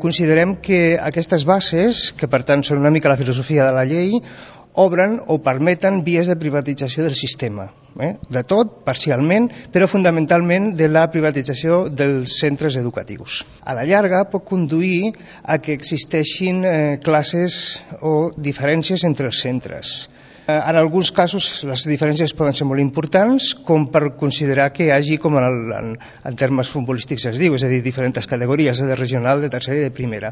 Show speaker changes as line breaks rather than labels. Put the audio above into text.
Considerem que aquestes bases, que per tant són una mica la filosofia de la llei, obren o permeten vies de privatització del sistema. De tot, parcialment, però fonamentalment de la privatització dels centres educatius. A la llarga pot conduir a que existeixin classes o diferències entre els centres. En alguns casos les diferències poden ser molt importants, com per considerar que hi hagi, com en termes futbolístics es diu, és a dir, diferents categories, de regional, de tercera i de primera.